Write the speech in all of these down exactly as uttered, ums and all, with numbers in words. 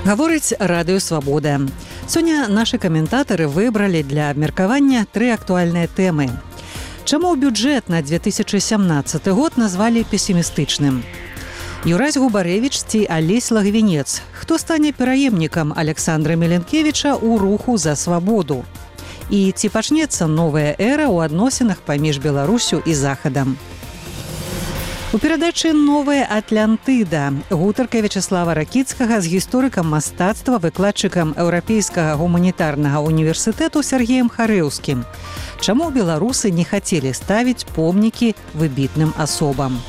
Гаворыць радыё «Свабода». Сёння нашы каментатары выбралі для абмеркавання тры актуальныя тэмы. Чаму бюджэт на две тысячы сямнаццаты год назвалі песімістычным? Юрась Губарэвіч ці Алесь Лагвінец? Хто стане пераемнікам Александра Меленкевіча ў руху за свабоду? І ці пачнецца новая эра ў адносінах паміж Беларусю і Захадам? У перадачы «Новая Атлантыда» гутарка Вячеслава Ракіцкага з гісторыкам мастацтва, выкладчыкам Еўрапейскага гуманітарнага універсітэту Сергеем Харэўскім. Чаму беларусы не хацелі ставіць помнікі выбітным асобам?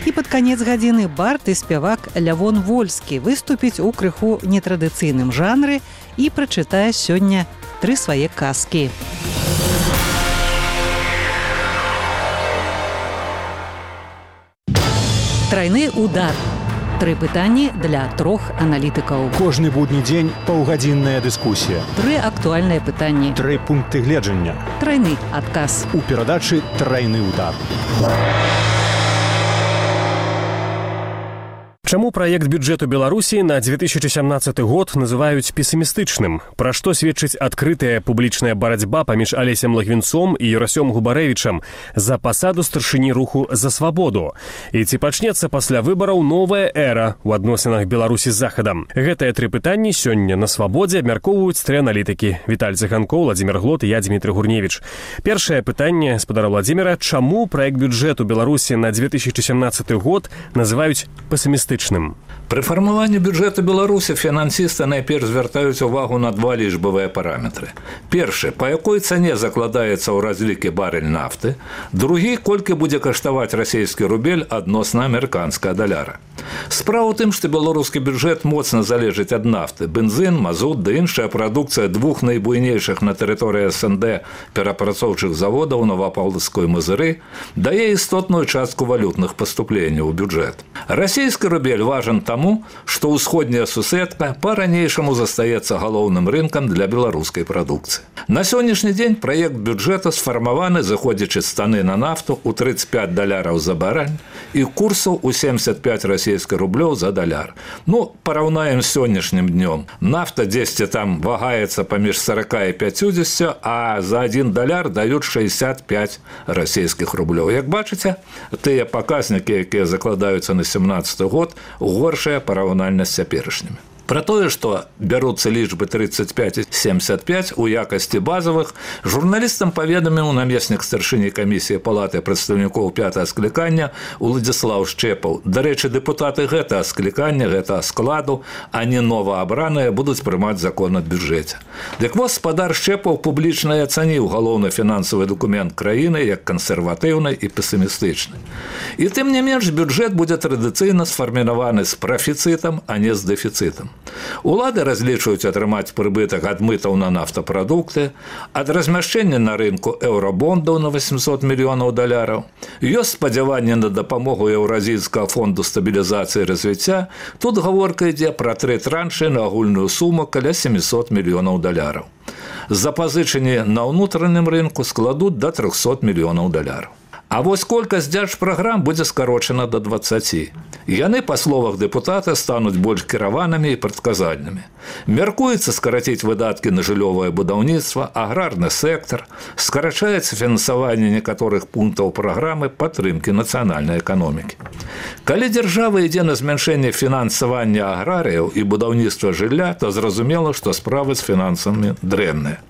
І пад канец гадзіны бард і спявак Лявон Вольскі выступіць у крыху нетрадыцыйным жанры і прачытае сёння тры свае казкі. Трайны удар. Тры пытанні для трох аналітыкаў. Кожны будні дзень паўгадзінная дыскусія. Тры актуальныя пытанні. Тры пункты гледжання. Трайны адказ. У перадачы «Трайны удар». Чаму праект бюджэту Беларусі на две тысячы сямнаццаты год называюць песімістычным? Пра што сведчыць адкрытая публічная барацьба паміж Алесем Лагвінцом і Юрасём Губарэвічам за пасаду старшыні руху за свабоду? І ці пачнецца пасля выбараў новая эра ў адносінах Беларусі з Захадам? Гэтыя тры пытанні сёння на свабодзе абмяркоўваюць тры аналітыкі. Віталь Цыганкоў, Владзімир Глот і я, Дмітрый Гурневіч. Першае пытанне спадара Владзіміра: чаму праект бюджэту Беларусі на две тысячы сямнаццаты год называюць песімістычным? При фармаванні бюджэту Беларусі фінансісты найперш звяртаюць увагу на два лічбавыя параметры. Першы, па якой цане закладаецца ў разлікі барэль нафты. Другі, колькі будзе каштаваць расійскі рубель адносна амерыканскага даляра. Справа ў тым, што беларускі бюджэт моцна залежыць ад нафты. Бензин, мазут ды іншая прадукцыя двух найбуйнейшых на тэрыторыі эс эн дэ перапрацоўчых заводаў Новапаўлаўскай Мазыры дае істотную частку валютных паступленняў у бюджэт. Расійскі рубель важен таму, што ўсходняя сусветка па-ранейшаму застаецца галоўным рынкам для беларускай прадукцыі. На сённяшні дзень праект бюджэта сфармаваны, заходзячы з цаны на нафту ў трыццаць пяць даляраў за барэль і курсаў у семьдесят пять расійскіх рублёў за даляр. Ну, параўнаем з сённяшнім днём. Нафта дзесьці там вагаецца паміж сорок і пятьдесят, а за один даляр даюць шестьдесят пять расійскіх рублёў. Як бачыце, тыя паказнікі, якія закладаюцца на сямнаццаты год, горшая параўнальна з цяперашнімі. Пра тое, што бяруцца лічбы трыццаць пять і семьдесят пять у якасці базавых, журналістам паведаміў намеснік старшыні камісіі палаты прадстаўнікоў пятага склікання Уладзіслаў Шчэпаў. Дарэчы, дэпутаты гэтага склікання, гэтага складу, а не новаабраныя, будуць прымаць закон ад бюджэце. Дык вось спадар Шчэпаў публічна ацаніў галоўны фінансавы дакумент краіны як кансерватыўны і песімістычны. І тым не менш, бюджэт будзе традыцыйна сфарміраваны з прафіцытам, а не з дэфіцытам. Улады разлічваюць атрымаць прыбытак ад мытаў на нафтапрадукты, ад размяшчэння на рынку еўрабондаў на восемьсот мільёнаў даляраў. Ёсць спадзяванне на дапамогу Еўразійскага фонду стабілізацыі і развіцця. Тут гаворка ідзе пра тры траншы на агульную суму каля семьсот мільёнаў даляраў. Запазычанні на ўнутраным рынку складуць да трохсот мільёнаў даляраў. А вось колькасць дзяржпраграм будзе скарочана да дваццаці. Яны, па словах дэпутата, стануць больш кіраванымі і прадказальнымі. Мяркуецца скараціць выдаткі на жыллёвае будаўніцтва, аграрны сектар, скарачаецца фінансаванне некаторых пунктаў праграмы падтрымкі нацыянальнай эканомікі. Калі дзяржава ідзе на змяншэнне фінансавання аграрыяў і будаўніцтва жылля, то зразумела, што справы з фінансамі дрэнныя.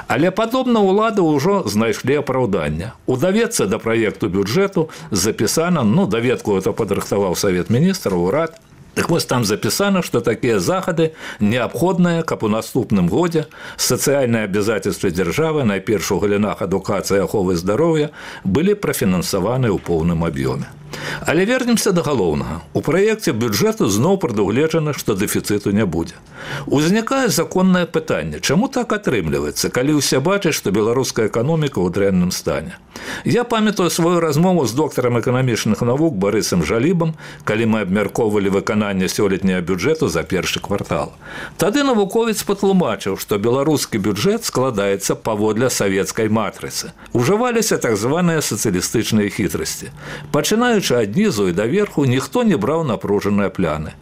Але падобна ўлады ўжо знайшлі апраўданне. У даведцы да праекту бюджэту запісана, ну, даведку это падрыхтаваў Савет міністраў, урад. Так вось там запісана, што такія захады неабходныя, каб у наступным годзе сацыяльныя абавязацельствы дзяржавы, найперш у галінах адукацыі, аховы здароўя, былі прафінансаваны ў поўным аб'ёме. Але вернемся да галоўнага. У праекце бюджэту зноў прадугледжана, што дэфіцыту не будзе. Узнікае законнае пытанне: чаму так атрымліваецца, калі ўсе бачаць, што беларуская эканоміка ў дрэнным стане? Я памятаю сваю размову з доктарам эканамічных навук Барысам Жалібам, калі мы абмяркоўвалі выкананне сёлетняга бюджэту за першы квартал. Тады навуковец патлумачыў, што беларускі бюджэт складаецца паводле савецкай матрыцы. Ужываліся так званыя сацыялістычныя хітрасці. Пачынаюць пачынаючы ад нізу і даверху, ніхто не браў напружаныя пляны.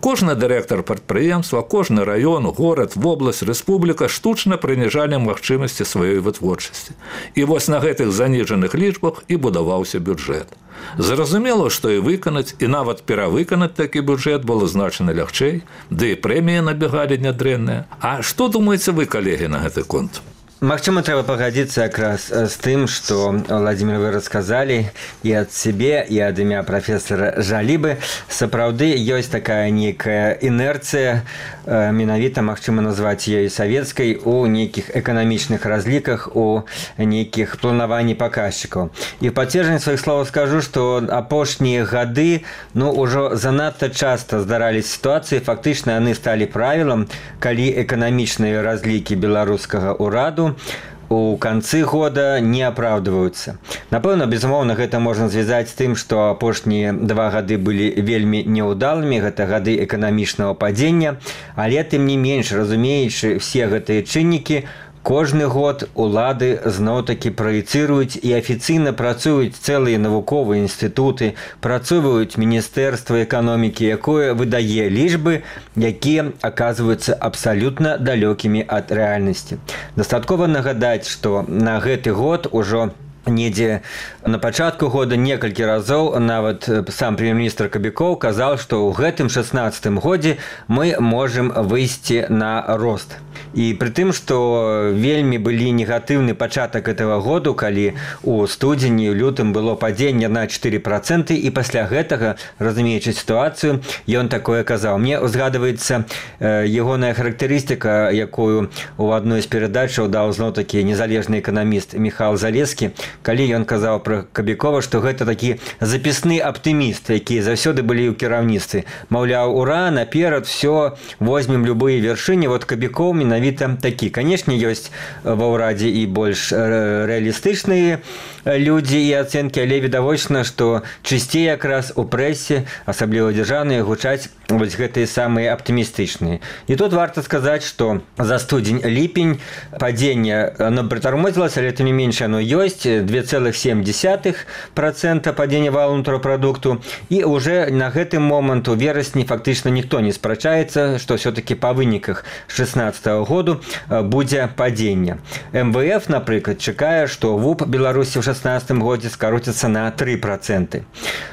Кожны дырэктар прадпрыемства, кожны раён, горад, вобласць, рэспубліка штучна прыніжалі магчымасці сваёй вытворчасці. І вось на гэтых заніжаных лічбах і будаваўся бюджэт. Зразумела, што і выканаць, і нават перавыканаць такі бюджэт было значна лягчэй, ды і прэміі набегалі нядрэнныя. А што думаеце вы, калегі, на гэты конт? Магчыма, трэба пагадзіцца якраз з тым, што, Владзімир, вы расказалі і ад сябе, і ад імя прафесара Жалібы. Сапраўды ёсць такая нейкая інерцыя, менавіта магчыма назваць ёй савецкай, у нейкіх эканамічных разліках, у нейкіх планаванні паказчыкаў. І в пацверджанне сваіх словаў скажу, што апошнія гады, ну, ужо занадта часта здарались сітуацыі, фактычна яны сталі правілам, калі эканамічныя разлікі беларускага ўраду у канцы года не апраўдваюцца. Напэўна, безумоўна, гэта можна звязаць з тым, што апошнія два гады былі вельмі няўдалымі, гэта гады эканамічнага падзення, але тым не менш, разумеючы все гэтыя чыннікі, кожны год улады зноў-такі праецыруюць і афіцыйна працуюць цэлыя навуковыя інстытуты, працуюць Міністэрства эканомікі, якое выдае лічбы, якія аказваюцца абсалютна далёкімі ад рэальнасці. Дастаткова нагадаць, што на гэты год ужо недзе на пачатку года некалькі разоў нават сам прэм'ер-міністр Кабікоў казаў, што ў гэтым шаснаццатым годзе мы можам выйсці на рост. І пры тым, што вельмі былі негатыўны пачатак этого году, калі у студзені, у лютым было падзенне на чатыры працэнты, і пасля гэтага, разумеючы сітуацыю, ён такое казаў. Мне узгадваецца ягоная характарыстыка, якую у адной з перадачаў даў зноў-такі незалежны эканаміст Міхал Залескі, калі ён казаў пра Кабікова, што гэта такі запісны аптыміст, які заўсёды былі ў кіраўніцтве. Маўляў, ура, наперад, все, возьмем любые вяршыні. Вот Кабікоў менавіта такі. Канешне, ёсць ва ўрадзе і больш рэалістычныя людзі і ацэнкі, але відавочна, што чысцей якраз у прэсе, асабліва дзяржаўныя, гучаць вось гэтыя самыя аптымістычныя. І тут варта сказаць, што за студзень-ліпень падзенне, оно прытармозілася, але тым не менш оно ёсць, два цэлых сем десятых процента падзення валового внутреннего продукту, і уже на гэты момант у верасні фактычна ніхто не спрачаецца, што все-таки па выніках шаснаццатага году будзе падзенне. эм вэ эф, напрыклад, чакае, што ВУП Беларусі ў шаснаццатым годзе скароціцца на тры працэнты.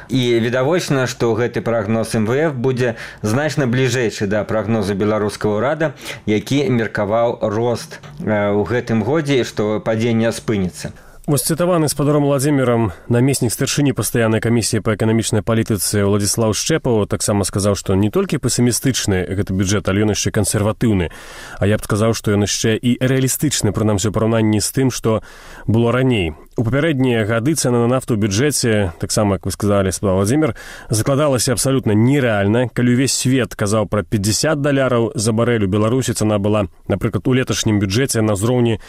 І відавочна, што гэты прагноз эм вэ эф будзе значна бліжэйшы да прагнозу беларускага ўрада, які меркаваў рост у гэтым годзе, што падзенне спыніцца. Вось цытаваны спадаром Владзімірам намеснік старшыні пастаяннай камісіі па эканамічнай палітыцы Уладзіслаў Шчэпаў таксама сказаў, што не толькі песімістычны гэты бюджэт, але ён яшчэ кансерватыўны. А я б сказаў, што ён яшчэ і рэалістычны, прынамсі ў параўнанні з тым, што было раней. У папярэднія гады цэна на нафту ў бюджэце, таксама, як вы сказалі, спадал Владзімір, закладалася абсалютна нерэальна. Калі ўвесь свет казаў пра пятьдесят даляраў за барэль, у Беларусі цана была, напрыклад, у леташнім бюджэце на ўзроўні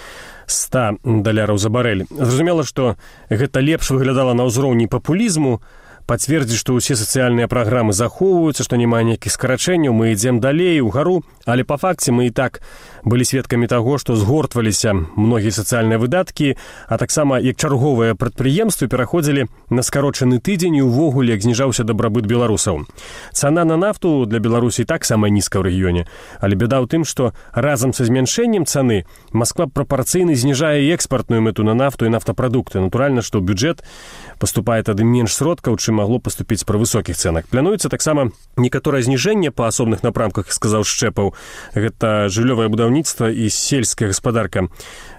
сто даляраў за барэль. Зразумела, што гэта лепш выглядала на ўзроўні папулізму, пацвердзіць, што ўсе сацыяльныя праграмы захоўваюцца, што няма ніякіх скарачэнняў, мы ідзем далей угару, але па факце мы і так былі сведкамі таго, што згортваліся многія сацыяльныя выдаткі, а таксама як чарговыя прадпрыемствы пераходзілі на скарочаны тыдзень і увогуле як зніжаўся дабрабыт беларусаў. Цана на нафту для Беларусі так самая нізкая ў рэгіёне, але бяда ў тым, што разам са змяншэннем цаны Масква прапарцыйна зніжае экспартную мэту на нафту і нафтапрадукты. Натуральна, што ў бюджэт паступае тады менш сродкаў, чым магло паступіць пры высокіх цэнах. Плануецца таксама некаторае зніжэнне па асобных напрамках, сказаў Шчэпаў. Гэта жыллёвае будаўніцтва і сельская гаспадарка.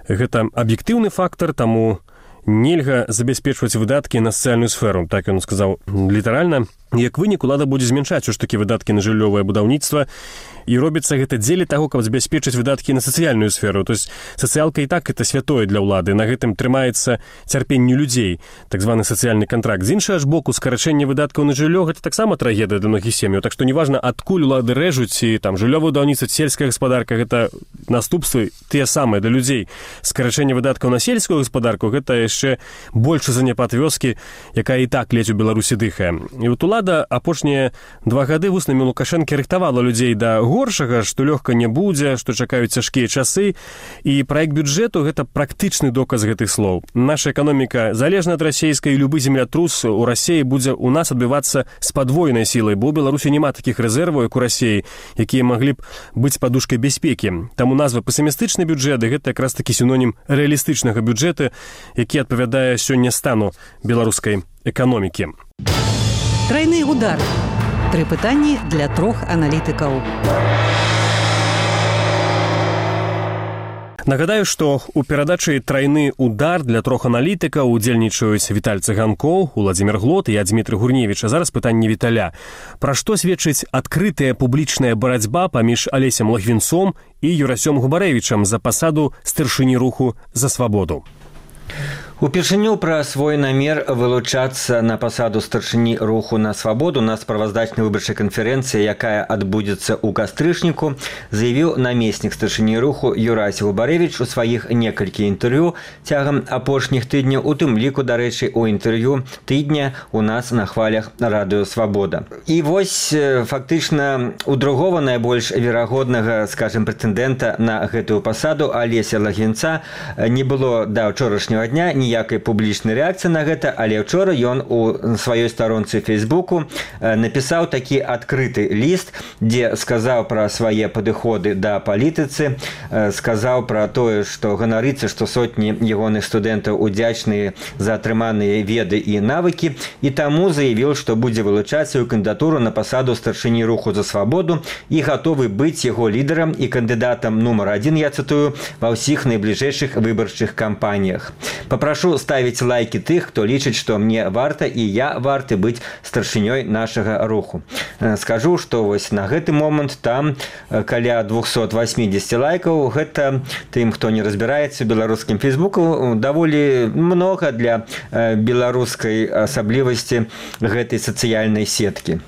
Гэта аб'ектыўны фактар, таму нельга забяспечваць выдаткі на сацыяльную сферу, так ён сказаў літаральна. Як вынік, улада будзе змяншаць уж такі выдаткі на жыллёвае будаўніцтва, і робіцца гэта дзеля таго, каб забяспечыць выдаткі на сацыяльную сферу. То есть сацыялка і так это святое для ўлады, на гэтым трымаецца цярпенне людзей, так званы сацыяльны кантракт. З іншага ж боку, скарачэнне выдаткаў на жыллё гэта таксама трагедыя для многіх сем'яў. Так што неважна, адкуль улады рэжуць, і там жыллёвае будаўніцтва, сельская гаспадарка, гэта наступствы тыя самыя для людзей. Скарачэнне выдаткаў на сельскую гаспадарку гэта яшчэ большы заняпад вёскі, якая і так ледзь у Беларусі дыхае. І вот улады ўлада апошнія два гады вуснамі Лукашэнкі рыхтавала людзей да горшага, што лёгка не будзе, што чакаюць цяжкія часы. І праект бюджэту – гэта практычны доказ гэтых слоў. Наша эканоміка залежна ад расейскай, і любы землятрус у Расіі будзе ў нас адбывацца з падвойнай сілай, бо ў Беларусі няма такіх рэзерваў, як у Расіі, якія маглі б быць падушкай бяспекі. Таму назва песімістычны бюджэт – гэта якраз такі сінонім рэалістычнага бюджэта, які адпавядае сёння стану беларускай эканомікі. Трайны удар. Тры пытанні для трох аналітыкаў. Нагадаю, што ў перадачы «Трайны удар» для трох аналітыкаў удзельнічаюць Віталь Цыганкоў, Уладзімір Глот і я, Дмітрый Гурневіч. А зараз пытанне Віталя. Пра што сведчыць адкрытая публічная барацьба паміж Алесем Логвінцом і Юрасём Губарэвічам за пасаду старшыні руху «За свабоду»? Упершыню пра свой намер вылучацца на пасаду старшыні руху «На свабоду» на справаздачнай выбарчай канферэнцыі, якая адбудзецца ў кастрычніку, заявіў намеснік старшыні руху Юрась Губарэвіч у сваіх некалькі інтэрв'ю цягам апошніх тыдняў, у тым ліку, дарэчы, у інтэрв'ю тыдня у нас на хвалях радыё «Свабода». І вось фактычна у другого найбольш верагоднага, скажем, прэтэндэнта на гэтую пасаду Алеся Логвінца не было да ўчорашняга дня ніякай публічнай рэакцыі на гэта, але ўчора ён у сваёй старонцы Фейсбуку напісаў такі адкрыты ліст, дзе сказаў пра свае падыходы да палітыцы, сказаў пра тое, што ганарыцца, што сотні ягоных студэнтаў удзячныя за атрыманыя веды і навыкі, і таму заявіў, што будзе вылучаць сваю кандыдатуру на пасаду старшыні руху «За свабоду» і гатовы быць яго лідарам і кандыдатам нумар адзін, я цытую, ва ўсіх найбліжэйшых выбарчых кампаніях. Папрашу ставіць лайкі тых, хто лічыць, што мне варта і я варты быць старшынёй нашага руху. Скажу, што вось на гэты момант там каля двухсот восьмидесяти лайкаў. Гэта тым, хто не разбіраецца ў беларускім Фейсбуку, даволі многа для беларускай асаблівасці гэтай сацыяльнай сеткі.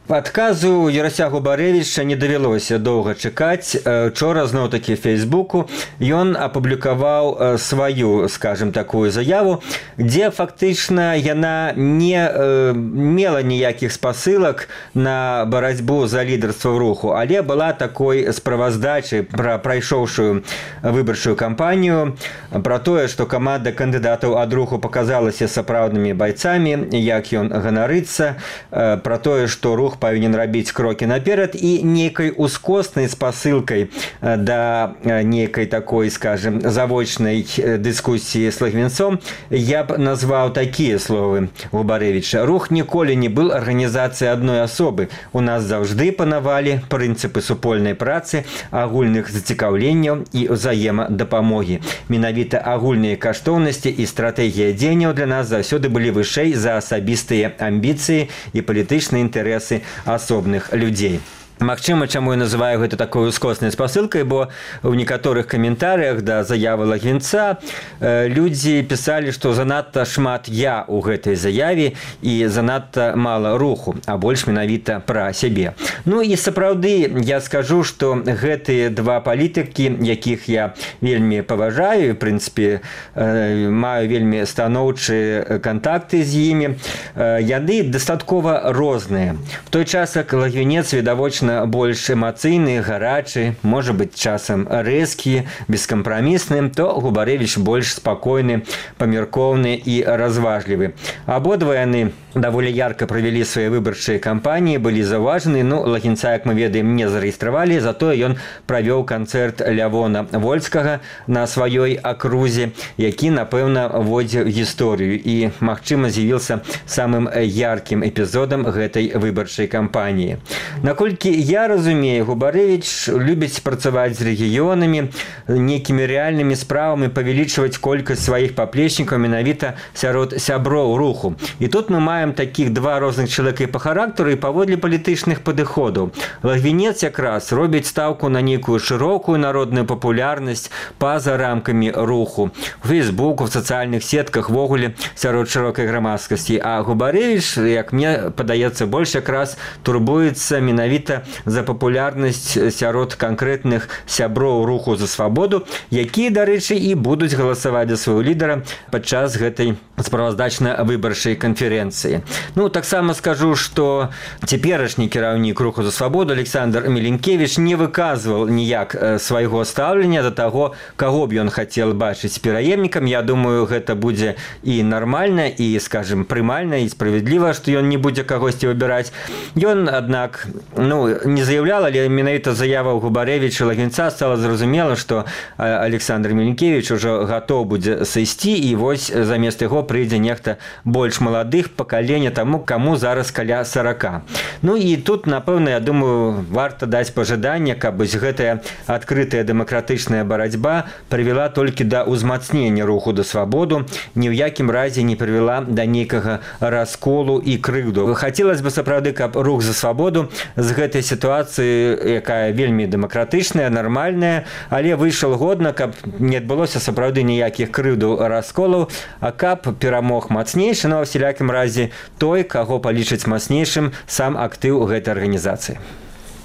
Адказу Юрася Губарэвіча не давялося доўга чакаць. Учора зноў-такі в Фейсбуку ён апублікаваў сваю, скажем, такую заяву, дзе фактычна яна не мела ніякіх спасылак на барацьбу за лідарства руху, але была такой справаздачай пра прайшоўшую выбарчую кампанію, пра тое, што каманда кандыдатаў ад руху паказалася сапраўднымі байцамі, як ён ганарыцца, пра тое, што рух павінен рабіць крокі наперад, і нейкай ускоснай спасылкай да нейкай такой, скажем, завочнай дыскусіі з Логвінцом я б назваў такія словы Губарэвіча. Рух ніколі не быў арганізацыяй адной асобы. У нас заўжды панавалі прынцыпы супольнай працы, агульных зацікаўленняў і ўзаемадапамогі. Менавіта агульныя каштоўнасці і стратэгія дзеянняў для нас заўсёды былі вышэй за асабістыя амбіцыі і палітычныя інтарэсы асобных людзей. Магчыма, чаму я называю гэта такой ускоснай спасылкай, бо ў некаторых каментарыях да заявы Логвінца людзі пісалі, што занадта шмат я ў гэтай заяве і занадта мала руху, а больш менавіта пра сябе. Ну і сапраўды я скажу, што гэтыя два палітыкі, якіх я вельмі паважаю, в прынцыпе маю вельмі станоўчыя кантакты з імі, яны дастаткова розныя. В той час, як Логвінец відавочна больш эмацыйны, гарачы, можа быць часам рэзкі, бескампрамісны, то Губарэвіч больш спакойны, памяркоўны і разважлівы. Абодва яны даволі ярка правялі свае выбарчыя кампаніі, былі заўважаны. Ну, Логвінца, як мы ведаем, не зарэгістравалі, затое ён правёў канцэрт Лявона Вольскага на сваёй акрузе, які, напэўна, вводзіў гісторыю і, магчыма, з'явіўся самым яркім эпізодам гэтай выбарчай кампаніі. Наколькі я разумею, Губарэвіч любіць працаваць з рэгіёнамі, нейкімі рэальнымі справамі павялічваць колькасць сваіх паплечнікаў менавіта сярод сяброў руху. І тут мы маем такіх два розных чалавека і па характару, і паводле палітычных падыходаў. Логвінец якраз робіць стаўку на нейкую шырокую народную папулярнасць па-за рамкамі руху. У Фейсбуку, в сацыяльных сетках, ввогуле сярод шырокай грамадскасці. А Губарэвіч, як мне падаецца, больш якраз турбуецца менавіта б'ецца за папулярнасць сярод канкрэтных сяброў руху за свабоду, якія, дарэчы, і будуць галасаваць за свайго лідара падчас гэтай справаздачна-выбарчай канферэнцыі. Ну, таксама скажу, што цяперашні кіраўнік руху за свабоду Александр Меленкевич не выказваў ніяк свайго стаўлення да таго, каго б ён хацеў бачыць пераемнікам. Я думаю, гэта будзе і нармальна, і, скажем, прымальна, і справядліва, што ён не будзе кагосьці выбіраць. Ён, аднак, ну, не заяўлял, але менавіта заява Губарэвіча і Лагвінца стала зразумела, што Александр Меленкевич ужо гатоў будзе сысці, і вось замест яго прыйдзе нехта больш маладых пакалення таму, каму зараз каля сорока. Ну і тут, напэўна, я думаю, варта даць пажаданне, каб гэтая адкрытая дэмакратычная барацьба прывяла толькі да ўзмацнення руху да свабоду, ні ў якім разе не прывяла да нейкага расколу і крыўду. Хацелася бы сапраўды, каб рух за свабоду з гэтай сітуацыі, якая вельмі дэмакратычная, нармальная, але выйшаў годна, каб не адбылося сапраўды ніякіх крыўдаў, расколаў, а каб перамог мацнейшы, но ў усялякім разе той, каго палічыць мацнейшым сам актыў гэтай арганізацыі.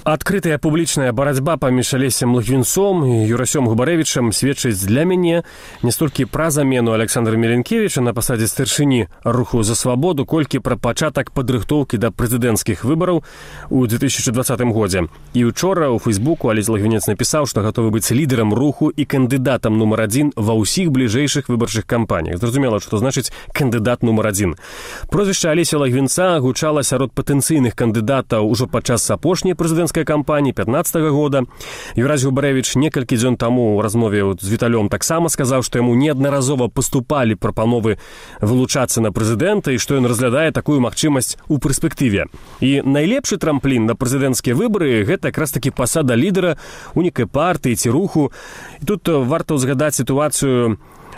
Адкрытая публічная барацьба паміж Алесем Логвінцом і Юрасём Губарэвічам сведчыць для мяне не столькі пра замену Александра Меленкевича на пасадзе старшыні руху за свабоду, колькі пра пачатак падрыхтоўкі да прэзідэнцкіх выбараў у две тысячи двадцатым годзе. І учора ў Фейсбуку Алесь Логвінец напісаў, што гатовы быць лідарам руху і кандыдатам нумар адзін ва ўсіх бліжэйшых выбарчых кампаніях. Зразумела, што значыць кандыдат нумар адзін. Прозвішча Алеся Логвінца гучала сярод патэнцыйных кандыдатаў ужо падчас апошняй прэзідэнцкай кампаніі пятнадцатага года. Юрась Губарэвіч некалькі дзён таму ў размове з Віталём таксама сказаў, што яму неаднаразова паступалі прапановы вылучацца на прэзідэнта і што ён разглядае такую магчымасць у перспектыве. І найлепшы трамплін на прэзідэнцкія выбары гэта якраз такі пасада лідара у нейкай партыі ці руху. І тут варта ўзгадаць сітуацыю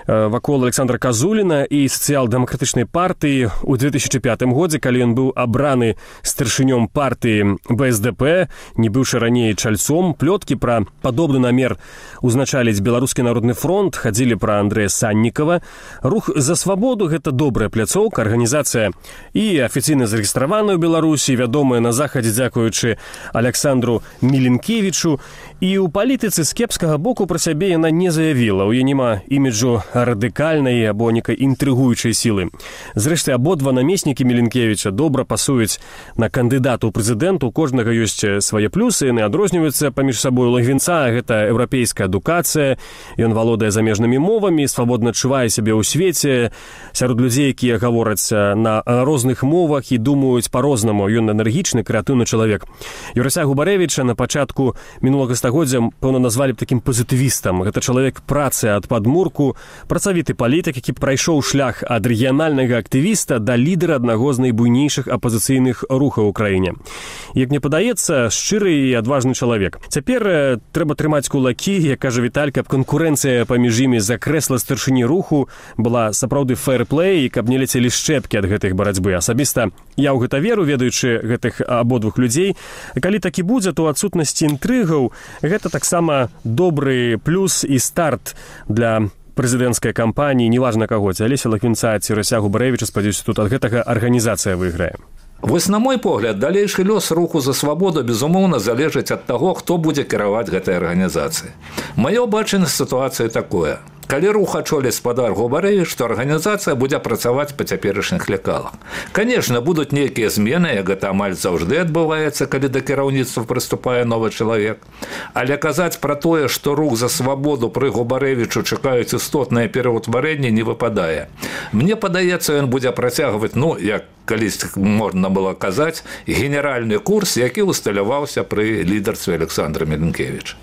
вакол Александра Казуліна і сацыял-дэмакратычнай партыі ў две тысячи пятым годзе, калі ён быў абраны старшынём партыі бэ эс дэ пэ, не быўшы раней чальцом. Плёткі пра падобны намер узначаліць Беларускі народны фронт хадзілі пра Андрэя Саннікава. Рух за свабоду — гэта добрая пляцоўка, арганізацыя і афіцыйна зарэгістраваная ў Беларусі, вядомая на захадзе дзякуючы Александру Меленкевичу. І ў палітыцы з кепскага боку пра сябе яна не заявіла. У яе няма іміджу радыкальнай або некай інтрыгуючай сілы. Зрэшты, абодва намеснікі Меленкевича добра пасуюць на кандыдата ў прэзідэнту. У кожнага ёсць свае плюсы, яны адрозніваюцца паміж сабой. Логвінца — гэта еўрапейская адукацыя, ён валодае замежнымі мовамі, свабодна адчувае сябе ў свеце сярод людзей, якія гавораць на розных мовах і думаюць па-рознаму. Ён энергічны, крэатыўны чалавек. Юрася Губарэвіча на пачатку мінулага стагоддзя, пэўна, назвалі б такім пазітывістам. Гэта чалавек працы ад падмурку, працавіты палітык, які прайшоў шлях ад рэгіянальнага актывіста да лідара аднаго з найбуйнейшых апазіцыйных рухаў у краіне. Як мне падаецца, шчыры і адважны чалавек. Цяпер трэба трымаць кулакі, як кажа Віталь, каб канкурэнцыя паміж імі за крэсла старшыні руху была сапраўды фэйр-плэй і каб не ляцелі шчэпкі ад гэтых барацьбы. Асабіста я ў гэта веру, ведаючы гэтых абодвух людзей. Калі так і будзе, то адсутнасці інтрыгаў гэта таксама добры плюс і старт для прэзідэнцкай кампаніі, неважна каго, ці Алеся Логвінца, ці Юрася Губарэвіча. Спадзяюся, тут ад гэтага арганізацыя выйграе. Вось, на мой погляд, далейшы лёс руху за свабоду, безумоўна, залежыць ад таго, хто будзе кіраваць гэтай арганізацыяй. Маё бачанне сітуацыі такое. Калі рух ачоліць спадар Губарэвіч, то арганізацыя будзе працаваць па цяперашніх лекалах. Канешне, будуць нейкія змены, як гэта амаль заўжды адбываецца, калі да кіраўніцтва прыступае новы чалавек. Але казаць пра тое, што рух за свабоду пры Губарэвічу чакаюць істотнае пераўтварэнне, не выпадае. Мне падаецца, ён будзе працягваць, ну, як калісь можна было казаць, генеральны курс, які усталяваўся пры лідарстве Александра Меленкевича.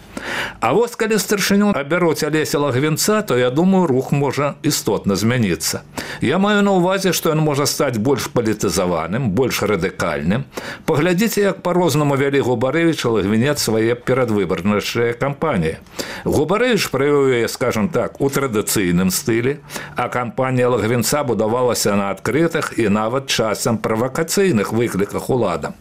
А вось калі старшыню абяруць Алеся Логвінца, то, я думаю, рух можа істотна змяніцца. Я маю на ўвазе, што ён можа стаць больш палітызаваным, больш радыкальным. Паглядзіце, як па-рознаму вялі Губарэвіч і Логвінец свае перадвыбарныя кампаніі. Губарэвіч правёў яе, скажам так, у традыцыйным стылі, а кампанія Логвінца будавалася на адкрытых і нават часам правакацыйных выкліках уладам.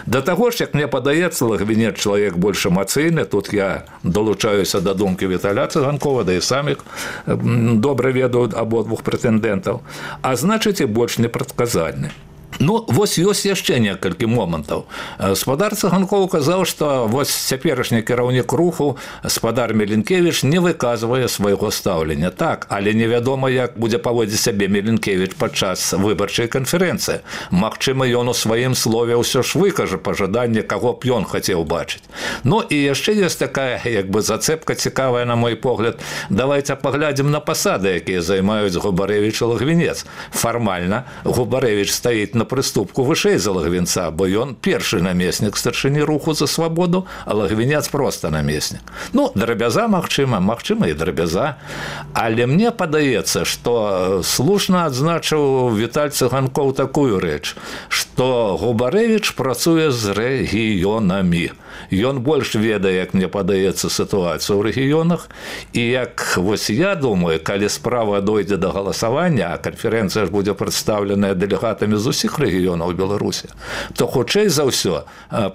Да таго ж, як мне падаецца, Логвінец чалавек больш эмацыйны, тут я долучаюся да думкі Віталя Цыганкова, да і самі добра ведаю абодвух прэтэндэнтаў, а значыць і больш непрадказальны. Ну, вось ёсць яшчэ некалькі момантаў. Спадар Цыганкоў казаў, што вось цяперашні кіраўнік руху, спадар Меленкевіч, не выказвае свайго стаўлення. Так, але невядома, як будзе паводзіць сябе Меленкевіч падчас выбарчай канферэнцыі. Магчыма, ён у сваім слове ўсё ж выкажа пажаданне, каго б ён хацеў бачыць. Ну, і яшчэ ёсць такая, як бы, зацэпка цікавая, на мой погляд. Давайте паглядзім на пасады, якія займаюць Губарэвіч і Лагвінец. Фармальна Губарэвіч стаіць на прыступку вышэй за Лагвінца, бо ён першы намеснік старшыні руху за свабоду, а Лагвінец проста намеснік. Ну, драбяза, магчыма, магчыма і драбяза. Але мне падаецца, што слушна адзначыў Віталь Цыганкоў такую рэч, што Губарэвіч працуе з рэгіёнамі. Ён больш ведае, як мне падаецца, сітуацыю ў рэгіёнах, і як, вось я думаю, калі справа дойдзе да галасавання, а канферэнцыя ж будзе прадстаўленая дэлегатамі з усіх рэгіёнаў Беларусі, то хутчэй за ўсё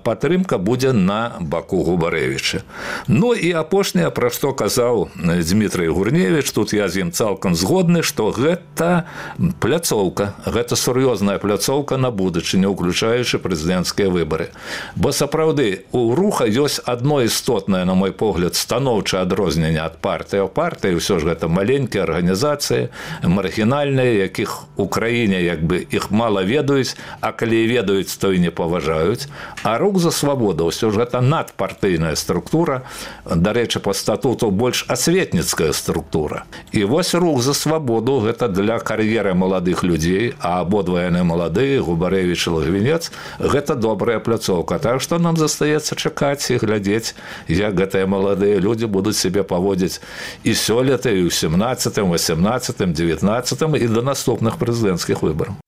падтрымка будзе на баку Губарэвіча. Ну і апошняе, пра што казаў Дмітрый Гурневіч, тут я з ім цалкам згодны, што гэта пляцоўка, гэта сур'ёзная пляцоўка на будучыню, уключаючы прэзідэнцкія выбары. Бо сапраўды у руха ёсць адно істотнае, на мой погляд, станоўчае адрозненне ад партыі. Партыі ўсё ж гэта маленькія арганізацыі, маргінальныя, якіх у краіне як бы іх мала ведаюць, а калі ведаюць, то і не паважаюць. А рух за свабоду ўсё ж гэта надпартыйная структура, дарэчы, па статуту больш асветніцкая структура. І вось рух за свабоду гэта для кар'еры маладых людзей, а абодва яны маладыя, Губарэвіч і Лагвінец, гэта добрая пляцоўка. Так што нам застаецца чакаць і глядзець, як гэтыя маладыя людзі будуць сябе паводзіць і сёлета, і ў семнаццатым, васемнаццатым, дзевятнаццатым і да наступных прэзідэнцкіх выбараў.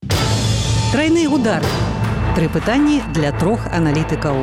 Трайны удар. Тры пытанні для трох аналітыкаў.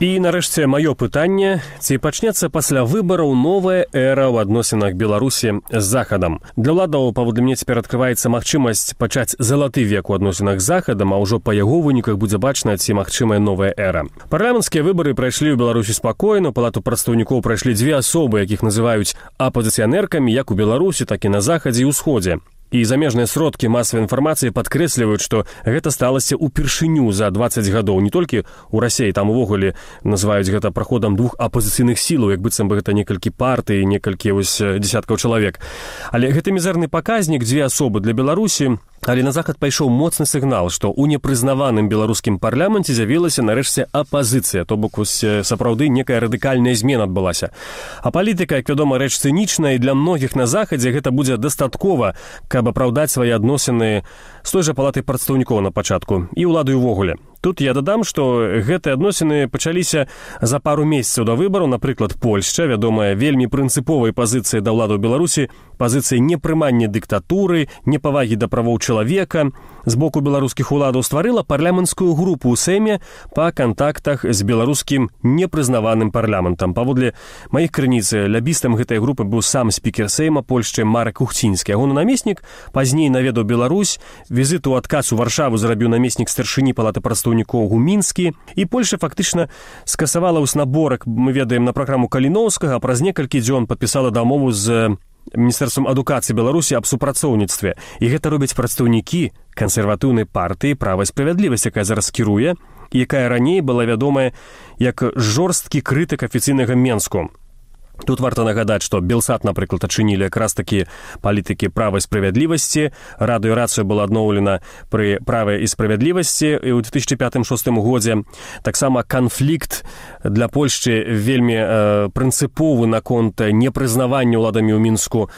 І, нарэшце, маё пытанне, ці пачнецца пасля выбараў новая эра ў адносінах Беларусі з Захадам. Для ўладаў, паводле мне, цяпер адкрываецца магчымасць пачаць залаты век у адносінах з Захадам, а ўжо па яго выніках будзе бачна, ці магчымая новая эра. Парламенцкія выбары прайшлі ў Беларусі спакойна, у палату прадстаўнікоў прайшлі дзве асобы, якіх называюць апозіцыянеркамі, як у Беларусі, так і на Захадзе і ўсходзе. І замежныя сродкі масавай інфармацыі падкрэсліваюць, што гэта сталася ўпершыню за дваццаць гадоў. Не толькі ў Расіі, там увогуле называюць гэта праходам двух апозіцыйных сілаў, як быццам бы гэта некалькі партый, некалькі вось дзесяткаў чалавек. Але гэты мізэрны паказнік, дзве асобы для Беларусі, але на Захад пайшоў моцны сігнал, што ў непрызнаваным беларускім парламенце з'явілася нарэшце апазіцыя, то бок вось сапраўды некая радыкальная змена адбылася. А палітыка, як вядома, рэч цынічная, і для многіх на Захадзе гэта будзе дастаткова, каб апраўдаць свае адносіны з той жа палатай прадстаўнікоў на пачатку і ўладай увогуле. Тут я дадам, што гэтыя адносіны пачаліся за пару месяцаў да выбараў. Напрыклад, Польшча, вядомая вельмі прынцыповай пазіцыяй да ўладаў Беларусі, пазіцыяй непрымання дыктатуры, непавагі да правоў чалавека, з боку беларускіх уладаў стварыла парламенцкую групу ў Сэме па кантактах з беларускім непрызнаваным парламентам. Паводле маіх крыніц, лябістам гэтай групы быў сам спікер Сэйма Польшчы Марак Кухцінскі. Ягоны намеснік пазней наведаў Беларусь, візіт у адказ у Варшаву зрабіў намеснік старшыні палаты прадстаўнікоў Гумінскі, і Польша фактычна скасавала вось наборак, мы ведаем, на праграму Каліноўскага, а праз некалькі дзён падпісала дамову з Міністэрствам адукацыі Беларусі аб супрацоўніцтве. І гэта робяць прадстаўнікі кансерватыўнай партыі «Права і справядлівасць», якая зараз кіруе, і якая раней была вядомая як жорсткі крытык афіцыйнага Менску. Тут варта нагадаць, што Белсат, напрыклад, адчынілі якраз такі палітыкі права і справядлівасці. Радыёрацыя была адноўлена пры праве і справядлівасці ў две тысячы пятым шостым годзе. Таксама канфлікт для Польшчы вельмі э, прынцыповы наконт непрызнавання ўладамі ў Мінску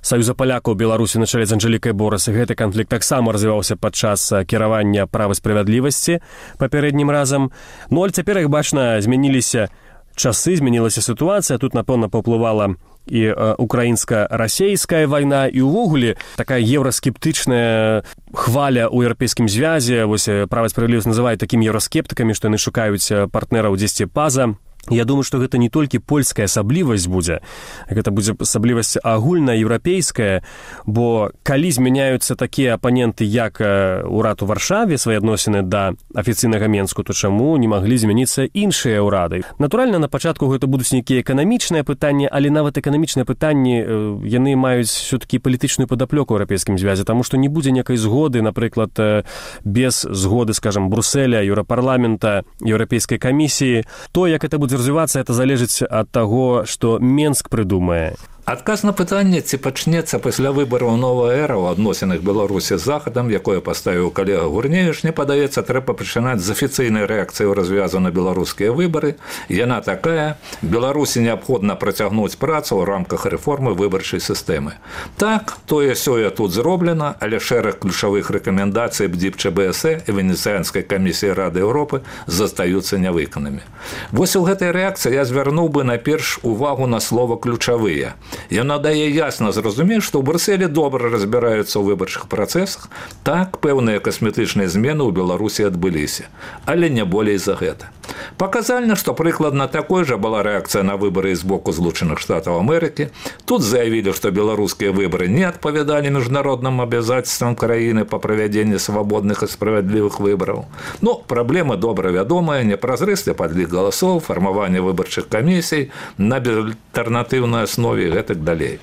Саюза палякаў Беларусі на чале з Анжэлікай Борас. Гэты канфлікт таксама развіваўся падчас кіравання права і справядлівасці папярэднім разам. Ну, але цяпер, як бачна, змяніліся часы, змянілася сітуацыя, тут, напэўна, паўплывала і э, украінска-расейская вайна, і ўвогуле такая еўраскептычная хваля ў еўрапейскім звязе. Вось «Права і справядлівасць» называюць такімі еўраскептыкамі, што яны шукаюць партнераў дзесьці па-за Я думаю, што гэта не толькі польская асаблівасць будзе, гэта будзе асаблівасць агульнаеўрапейская, бо калі змяняюцца такія апаненты, як урад у Варшаве, свае адносіны да афіцыйнага Менску, то чаму не маглі змяніцца іншыя ўрады? Натуральна, на пачатку гэта будуць нейкія эканамічныя пытанні, але нават эканамічныя пытанні, яны маюць все-таки палітычную падаплёку ў еўрапейскім звязе, таму што не будзе некай згоды, напрыклад, без згоды, скажам, Брусселя, Еўрапарламента, Еўрапейскай камісіі. То, як это будзе развівацца, это залежыць ад таго, што Менск прыдумае. Адказ на пытанне, ці пачнецца пасля выбараў новая эра ў адносінах Беларусі з Захадам, якое паставіў калега Гурневіч, мне падаецца, трэба пачынаць з афіцыйнай рэакцыі ў развязу на беларускія выбары. Яна такая: Беларусі неабходна працягнуць працу ў рамках рэформы выбарчай сістэмы. Так, тое-сёе тут зроблена, але шэраг ключавых рэкамендацый БДИП-ЧБС і Венецыянскай камісіі Рады Еўропы застаюцца нявыканымі. Вось у гэтай рэакцыі я звярнуў бы найперш увагу на слова «ключавыя». Яна дае ясна зразумець, што ў Брюсселі добра разбіраюцца ў выбарчых працэсах. Так, пэўныя касметычныя змены ў Беларусі адбыліся, але не болей за гэта. Паказальна, што прыкладна такой жа была рэакцыя на выбары з боку Злучаных Штатаў Амерыкі. Тут заявілі, што беларускія выбары не адпавядалі міжнародным абавязацельствам краіны па правядзенні свабодных і справядлівых выбараў. Ну, праблема добра вядомая: непразрысты падлік галасоў, фармаванне выбарчых камісій на безальтэрнатыўнай аснове і гэтак далей.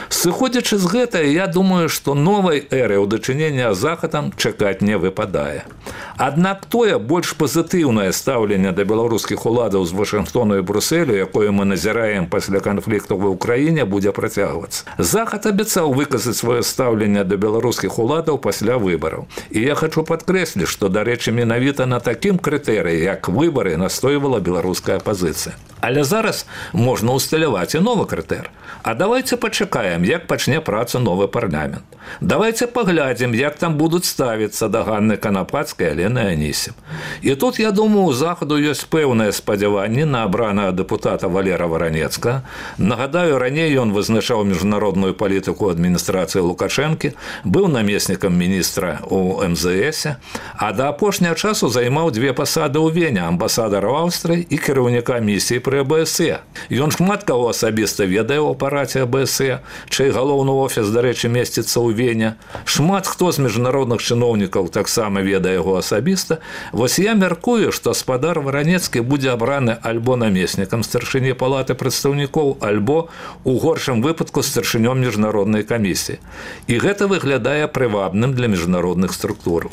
Сыходзячы з гэтага, я думаю, што новай эры ў дачыненні з Захадам чакаць не выпадае. Аднак тое больш пазітыўнае стаўленне да беларускіх уладаў з Вашынгтону і Брюсселю, якое мы назіраем пасля канфлікту ва ўкраіне, будзе працягвацца. Захад абяцаў выказаць сваё стаўленне да беларускіх уладаў пасля выбараў. І я хачу падкрэсліць, што, дарэчы, менавіта на такім крытэрыі, як выбары, настойвала беларуская апазіцыя. Але зараз можна ўсталяваць і новы крытэр. А давайте пачакаем, як пачне працу новы парламент. Давайте паглядзім, як там будуць ставіцца да Ганны Канапацкай, Алены Анісім. І тут, я думаю, у Захаду ёсць пэўнае спадзяванне на абранага дэпутата Валера Варанецкага. Нагадаю, раней ён вызначаў міжнародную палітыку адміністрацыі Лукашэнкі, быў намеснікам міністра ў эм зэ эсе, а да апошняга часу займаў дзве пасады ў Вене: амбасадара ў Аўстрыі і кіраўніка місіі пры а бэ эс е. Ён шмат каго асабіста ведае ў апараце а бэ эс е, чый галоўны офіс, дарэчы, месціцца ў Вене. Шмат хто з міжнародных чыноўнікаў таксама ведае яго асабіста. Вось я мяркую, што спадар Варанецкі будзе абраны альбо намеснікам старшыні палаты прадстаўнікоў, альбо, у горшым выпадку, старшынём міжнароднай камісіі. І гэта выглядае прывабным для міжнародных структураў.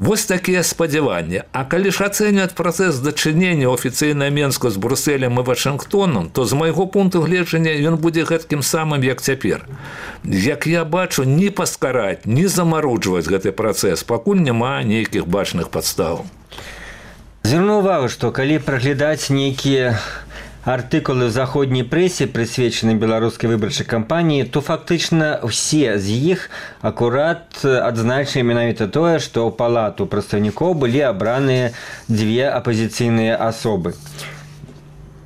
Вось такія спадзяванні. А калі ж ацэньваць працэс дачынення афіцыйна Менску з Брюсселем і Вашынгтонам, то з майго пункту гледжання ён будзе гэткім самым, як цяпер. Як я бачу, ні паскараць, ні замаруджваць гэты працэс, пакуль няма нейкіх бачных падстаў. Звярну ўвагу, што калі праглядаць нейкія артыкулы ў заходняй прэсе, прысвечаны беларускай выбарчай кампаніі, то фактычна ўсе з іх акурат адзначылі менавіта тое, што ў палату прадстаўнікоў былі абраныя дзве апазіцыйныя асобы.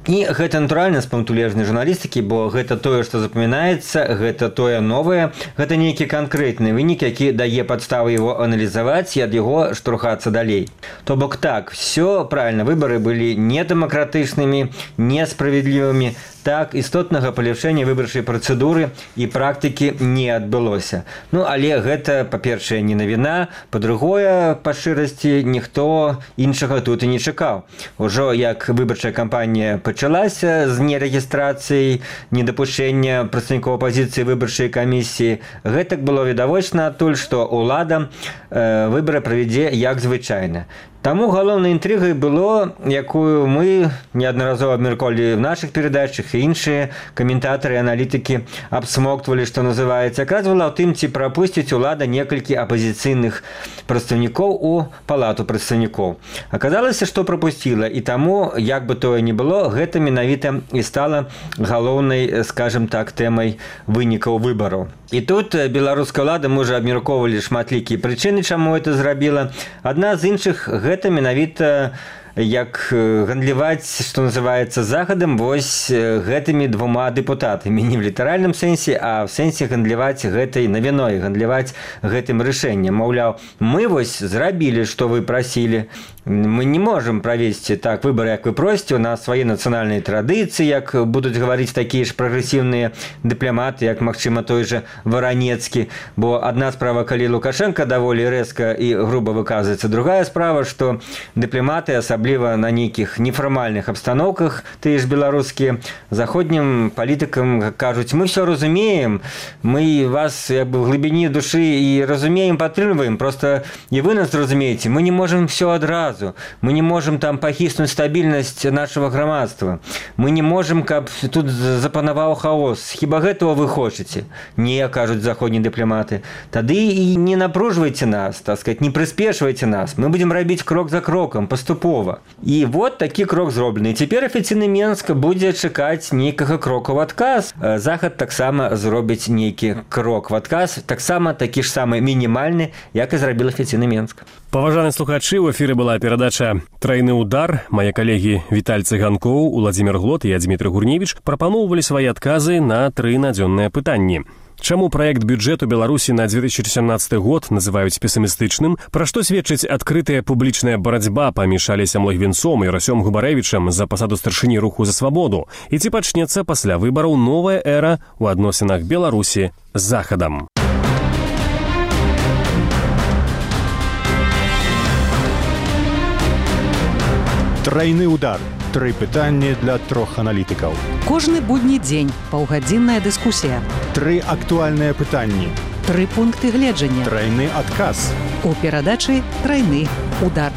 І гэта натуральна з пункту гледжання журналістыкі, бо гэта тое, што запамінаецца, гэта тое новае, гэта нейкі канкрэтны вынік, які дае падставы яго аналізаваць і ад яго штурхацца далей. То бок так, все правильно, выбары былі недэмакратычнымі, несправядлівымі, так, істотнага паляпшэння выбарчай працэдуры і практыкі не адбылося. Ну, але гэта, па-першае, не навіна, па-другое, па шчырасці, ніхто іншага тут і не чакаў. Ужо як выбарчая кампанія пачалася з нерэгістрацыяй, недапушчэння прадстаўнікоў апазіцыі выбарчай камісіі, гэтак было відавочна адтуль, што ўлада э, выбары правядзе як звычайна. Таму галоўнай інтрыгай было, якую мы неаднаразова абмяркоўвалі в нашых перадачах, і іншыя каментатары і аналітыкі абсмоктвалі, што называецца, якраз была ў тым, ці прапусціць улада некалькі апазіцыйных прадстаўнікоў у палату прадстаўнікоў. Аказалася, што прапусціла, і таму, як бы тое ні было, гэта менавіта і стала галоўнай, скажем так, тэмай вынікаў выбараў. І тут беларуская ўлада, мы ўжо абмяркоўвалі шматлікія прычыны, чаму гэта зрабіла. Адна з іншых, гэта менавіта як гандляваць, што называецца, захадам вось гэтымі двума дэпутатамі. Не в літаральным сэнсе, а в сэнсе гандляваць гэтай навіной, гандляваць гэтым рашэннем. Маўляў, мы вось зрабілі, што вы прасілі. Мы не можем правесці так выборы, як вы просіце, у нас свае нацыянальныя традыцыі, як будуць гаварыць такія ж прагрэсіўныя дыпламаты, як, магчыма, той жа Варанецкі. Бо адна справа, калі Лукашенко даволі рэзка і груба выказваецца, другая справа, што дыпламаты, асабліва на нейкіх нефармальных абстаноўках, тыя ж беларускія, заходнім палітыкам кажуць, мы все разумеем, мы вас як бы в глыбіні душы і разумеем, падтрымліваем, просто і вы нас разумееце, мы не можем все адразу. Мы не можем там пахіснуць стабільнасць нашего грамадства. Мы не можем, каб тут запанаваў хаос. Хіба гэтага вы хочаце? Не, кажуць заходнія дыпламаты. Тады і не напружвайце нас, так сказать, не прыспешвайце нас. Мы будем рабіць крок за кроком, паступова. І вот такі крок зроблены. І цяпер афіцыйны Менск будзе чакаць нейкага кроку ў адказ. Захад таксама зробіць нейкі крок в адказ, таксама такі ж самы мінімальны, як і зрабіў афіцыйны Менск. Паважаныя слухачы, у эфіры была перадача «Трайны удар». Мае калегі Віталь Цыганкоў, Уладзімір Глот і я, Дмітрый Гурневіч, прапаноўвалі свае адказы на тры надзённыя пытанні. Чаму праект бюджэту Беларусі на две тысячи семнадцаты год называюць песімістычным? Пра што сведчыць адкрытая публічная барацьба паміж Алесем Логвінцом і Расём Губарэвічам за пасаду старшыні руху за свабоду? І ці пачнецца пасля выбараў новая эра ў адносінах Беларусі з Захадам? Трайны удар. Тры пытанні для трох аналітыкаў. Кожны будні дзень паўгадзінная дыскусія. Тры актуальныя пытанні. Тры пункты гледжання. Трайны адказ. У перадачы «Трайны удар».